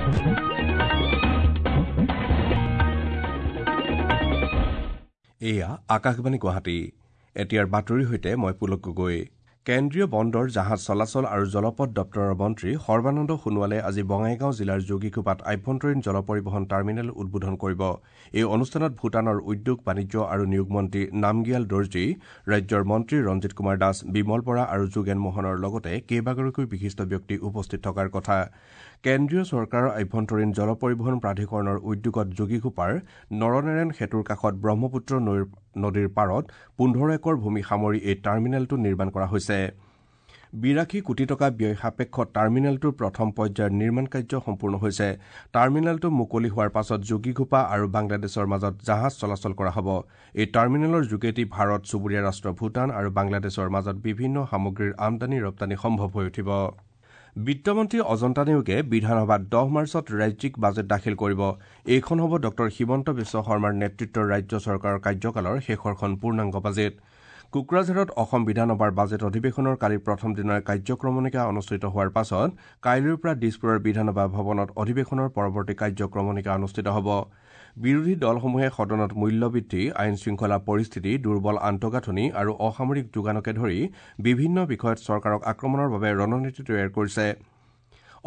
এয়া আকাশবাণী গুৱাহাটী। এতিয়াৰ বাতৰিৰ সৈতে মই পুলক গগৈ। কেন্দ্ৰীয় বন্দৰ, জাহাজ চলাচল আৰু জলপথ দপ্তৰৰ মন্ত্ৰী সৰ্বানন্দ সোণোৱালে আজি বঙাইগাঁও জিলাৰ যোগীঘোপাত আভ্যন্তৰীণ জল পৰিবহণ টাৰ্মিনেল উদ্বোধন কৰিব। এই অনুষ্ঠানত ভূটানৰ উদ্যোগ, বাণিজ্য আৰু নিয়োগ মন্ত্ৰী নামগিয়াল দৰ্জী, ৰাজ্যৰ মন্ত্ৰী ৰঞ্জিত কুমাৰ দাস, বিমল বৰা আৰু যোগেন মোহনৰ লগতে কেইবাগৰাকীও বিশিষ্ট ব্যক্তি উপস্থিত থকাৰ কথা। কেন্দ্ৰীয় চৰকাৰৰ আভ্যন্তৰীণ জল পৰিবহণ প্ৰাধিকৰণৰ উদ্যোগত যোগীঘোপাৰ নৰনাৰায়ণ সেতুৰ কাষত ব্ৰহ্মপুত্ৰ নদীৰ পাৰত 15 একৰ ভূমি সামৰি এই টাৰ্মিনেলটো নিৰ্মাণ কৰা হৈছে। 82 কোটি টকা ব্যয় সাপেক্ষ টাৰ্মিনেলটোৰ প্ৰথম পৰ্যায়ৰ নিৰ্মাণ কাৰ্য সম্পূৰ্ণ হৈছে। টাৰ্মিনেলটো মুকলি হোৱাৰ পাছত যোগীঘোপা আৰু বাংলাদেশৰ মাজত জাহাজ চলাচল কৰা হ'ব। এই টাৰ্মিনেলৰ যোগেদি ভাৰত, চুবুৰীয়া ৰাষ্ট্ৰ ভূটান আৰু বাংলাদেশৰ মাজত বিভিন্ন সামগ্ৰীৰ আমদানি ৰপ্তানি সম্ভৱ হৈ উঠিব। বিত্তমন্ত্ৰী অজন্তা নেওগে বিধানসভাত 10 মাৰ্চত ৰাজ্যিক বাজেট দাখিল কৰিব। এইখন হ'ব ডঃ হিমন্ত বিশ্ব শৰ্মাৰ নেতৃত্বৰ ৰাজ্য চৰকাৰৰ কাৰ্যকালৰ শেষৰখন পূৰ্ণাংগ বাজেট। কোকৰাঝাৰত অসম বিধানসভাৰ বাজেট অধিৱেশনৰ কালি প্ৰথম দিনাৰ কাৰ্যক্ৰমণিকা অনুষ্ঠিত হোৱাৰ পাছত কাইলৈৰ পৰা দিছপুৰৰ বিধানসভা ভৱনত অধিৱেশনৰ পৰৱৰ্তী কাৰ্যক্ৰমণিকা অনুষ্ঠিত হ'ব। বিৰোধী দলসমূহে সদনত মূল্যবৃদ্ধি, আইন শৃংখলা পৰিস্থিতি, দুৰ্বল আন্তঃগাঁথনি আৰু অসামৰিক যোগানকে ধৰি বিভিন্ন বিষয়ত চৰকাৰক আক্ৰমণৰ বাবে ৰণনীতি তৈয়াৰ কৰিছে।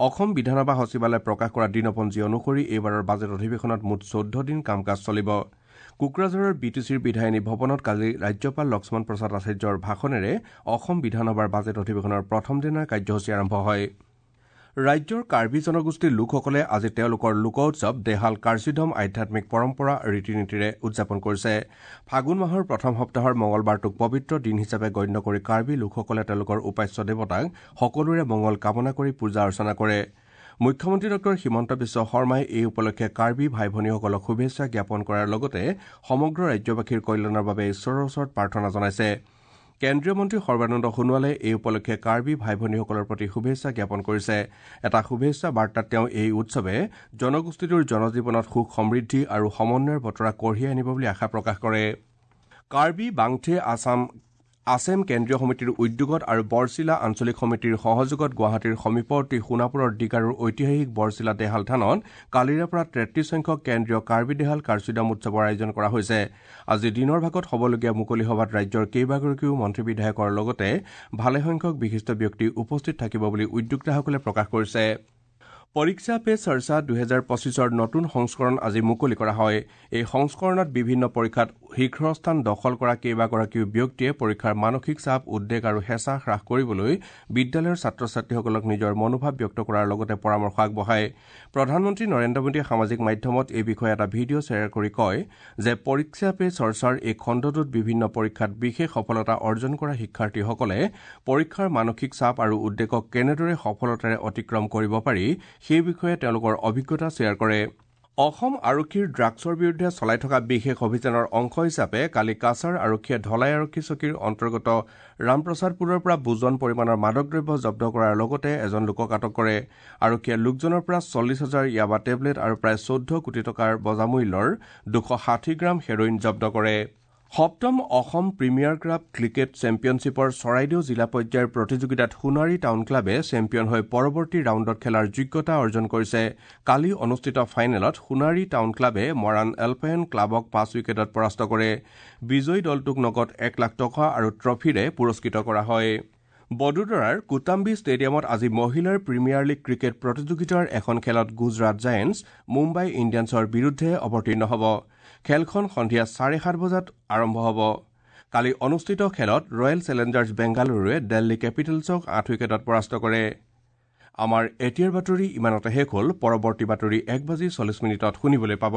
অসম বিধানসভা সচিবালয়ে প্ৰকাশ কৰা দিনপঞ্জী অনুসৰি এইবাৰৰ বাজেট অধিৱেশনত মুঠ 14 দিন কাম কাজ চলিব। কোকৰাঝাৰৰ বি টি চিৰ বিধায়িনী ভৱনত কালি ৰাজ্যপাল লক্ষ্মণ প্ৰসাদ আচাৰ্যৰ ভাষণেৰে অসম বিধানসভাৰ বাজেট অধিৱেশনৰ প্ৰথম দিনাৰ কাৰ্যসূচী আৰম্ভ হয়। ৰাজ্যৰ কাৰ্বি জনগোষ্ঠীৰ লোকসকলে আজি তেওঁলোকৰ লোক উৎসৱ দেহাল কাৰ্চিধম আধ্যাত্মিক পৰম্পৰা ৰীতি নীতিৰে উদযাপন কৰিছে। ফাগুন মাহৰ প্ৰথম সপ্তাহৰ মঙলবাৰটোক পবিত্ৰ দিন হিচাপে গণ্য কৰি কাৰ্বি লোকসকলে তেওঁলোকৰ উপাস্য দেৱতাক সকলোৰে মঙল কামনা কৰি পূজা অৰ্চনা কৰে। মুখ্যমন্ত্ৰী ডঃ হিমন্ত বিশ্ব শৰ্মাই এই উপলক্ষে কাৰ্বি ভাই ভনীসকলক শুভেচ্ছা জ্ঞাপন কৰাৰ লগতে সমগ্ৰ ৰাজ্যবাসীৰ কল্যাণৰ বাবে ঈশ্বৰৰ ওচৰত প্ৰাৰ্থনা জনাইছে। কেন্দ্ৰীয় মন্ত্ৰী সৰ্বানন্দ সোণোৱালে এই উপলক্ষে কাৰ্বি ভাই ভনীসকলৰ প্ৰতি শুভেচ্ছা জ্ঞাপন কৰিছে। এটা শুভেচ্ছা বাৰ্তাত তেওঁ এই উৎসৱে জনগোষ্ঠীটোৰ জনজীৱনত সুখ, সমৃদ্ধি আৰু সমন্বয়ৰ বতৰা কঢ়িয়াই আনিব বুলি আশা প্ৰকাশ কৰে। কাৰ্বি বাংথে আছেম কেন্দ্ৰীয় সমিতিৰ উদ্যোগত আৰু বৰচিলা আঞ্চলিক সমিতিৰ সহযোগত গুৱাহাটীৰ সমীপৱৰ্তী সোণাপুৰৰ ডিগাৰুৰ ঐতিহাসিক বৰচিলা দেহাল থানত কালিৰে পৰা 33 সংখ্যক কেন্দ্ৰীয় কাৰ্বি দেহাল কাৰ্চিদম উৎসৱৰ আয়োজন কৰা হৈছে। আজি দিনৰ ভাগত হ'বলগীয়া মুকলি সভাত ৰাজ্যৰ কেইবাগৰাকীও মন্ত্ৰী বিধায়কৰ লগতে ভালেসংখ্যক বিশিষ্ট ব্যক্তি উপস্থিত থাকিব বুলি উদ্যোক্তাসকলে প্ৰকাশ কৰিছে। পৰীক্ষা পে চৰ্চা 2025ৰ নতুন সংস্কৰণ আজি মুকলি কৰা হয়। এই সংস্কৰণত বিভিন্ন পৰীক্ষাত শীৰ্ষস্থান দখল কৰা কেইবাগৰাকীও ব্যক্তিয়ে পৰীক্ষাৰ মানসিক চাপ, উদ্বেগ আৰু হেঁচা হ্ৰাস কৰিবলৈ বিদ্যালয়ৰ ছাত্ৰ ছাত্ৰীসকলক নিজৰ মনোভাৱ ব্যক্ত কৰাৰ লগতে পৰামৰ্শ আগবঢ়ায়। প্ৰধানমন্ত্ৰী নৰেন্দ্ৰ মোদীয়ে সামাজিক মাধ্যমত এই বিষয়ে এটা ভিডিঅ' শ্বেয়াৰ কৰি কয় যে পৰীক্ষা পে চৰ্চাৰ এই খণ্ডটোত বিভিন্ন পৰীক্ষাত বিশেষ সফলতা অৰ্জন কৰা শিক্ষাৰ্থীসকলে পৰীক্ষাৰ মানসিক চাপ আৰু উদ্বেগক কেনেদৰে সফলতাৰে অতিক্ৰম কৰিব পাৰি সেই বিষয়ে তেওঁলোকৰ অভিজ্ঞতা শ্বেয়াৰ কৰে। অসম আৰক্ষীৰ ড্ৰাগছৰ বিৰুদ্ধে চলাই থকা বিশেষ অভিযানৰ অংশ হিচাপে কালি কাছাৰ আৰক্ষীয়ে ধলাই আৰক্ষী চকীৰ অন্তৰ্গত ৰামপ্ৰসাদপুৰৰ পৰা বুজন পৰিমাণৰ মাদক দ্ৰব্য জব্দ কৰাৰ লগতে এজন লোকক আটক কৰে। আৰক্ষীয়ে লোকজনৰ পৰা 40,000 য়াবা টেবলেট আৰু প্ৰায় 14 কোটি টকাৰ বজামূল্যৰ 260 গ্ৰাম হেৰইন জব্দ কৰে। সপ্তম অসম প্ৰিমিয়াৰ ক্লাব ক্ৰিকেট চেম্পিয়নশ্বিপৰ চৰাইদেউ জিলা পৰ্যায়ৰ প্ৰতিযোগিতাত সোণাৰী টাউন ক্লাবে চেম্পিয়ন হৈ পৰৱৰ্তী ৰাউণ্ডত খেলাৰ যোগ্যতা অৰ্জন কৰিছে। কালি অনুষ্ঠিত ফাইনেলত সোণাৰী টাউন ক্লাবে মৰাণ এলপায়ন ক্লাবক 5 উইকেটত পৰাস্ত কৰে। বিজয়ী দলটোক নগদ 1 লাখ টকা আৰু ট্ৰফীৰে পুৰস্কৃত কৰা হয়। বদোদৰাৰ কোটাম্বি ষ্টেডিয়ামত আজি মহিলাৰ প্ৰিমিয়াৰ লীগ ক্ৰিকেট প্ৰতিযোগিতাৰ এখন খেলত গুজৰাট জায়েণ্টছ মুম্বাই ইণ্ডিয়ানছৰ বিৰুদ্ধে অৱতীৰ্ণ হ'ব। খেলখন সন্ধিয়া 7:30 বজাত আৰম্ভ হ'ব। কালি অনুষ্ঠিত খেলত ৰয়েল চেলেঞ্জাৰ্ছ বেংগালুৰুৱে দিল্লী কেপিটেলছক 8 উইকেটত পৰাস্ত কৰে। আমাৰ এতিয়াৰ বাতৰি ইমানতে শেষ হ'ল। পৰৱৰ্তী বাতৰি 1:40 শুনিবলৈ পাব।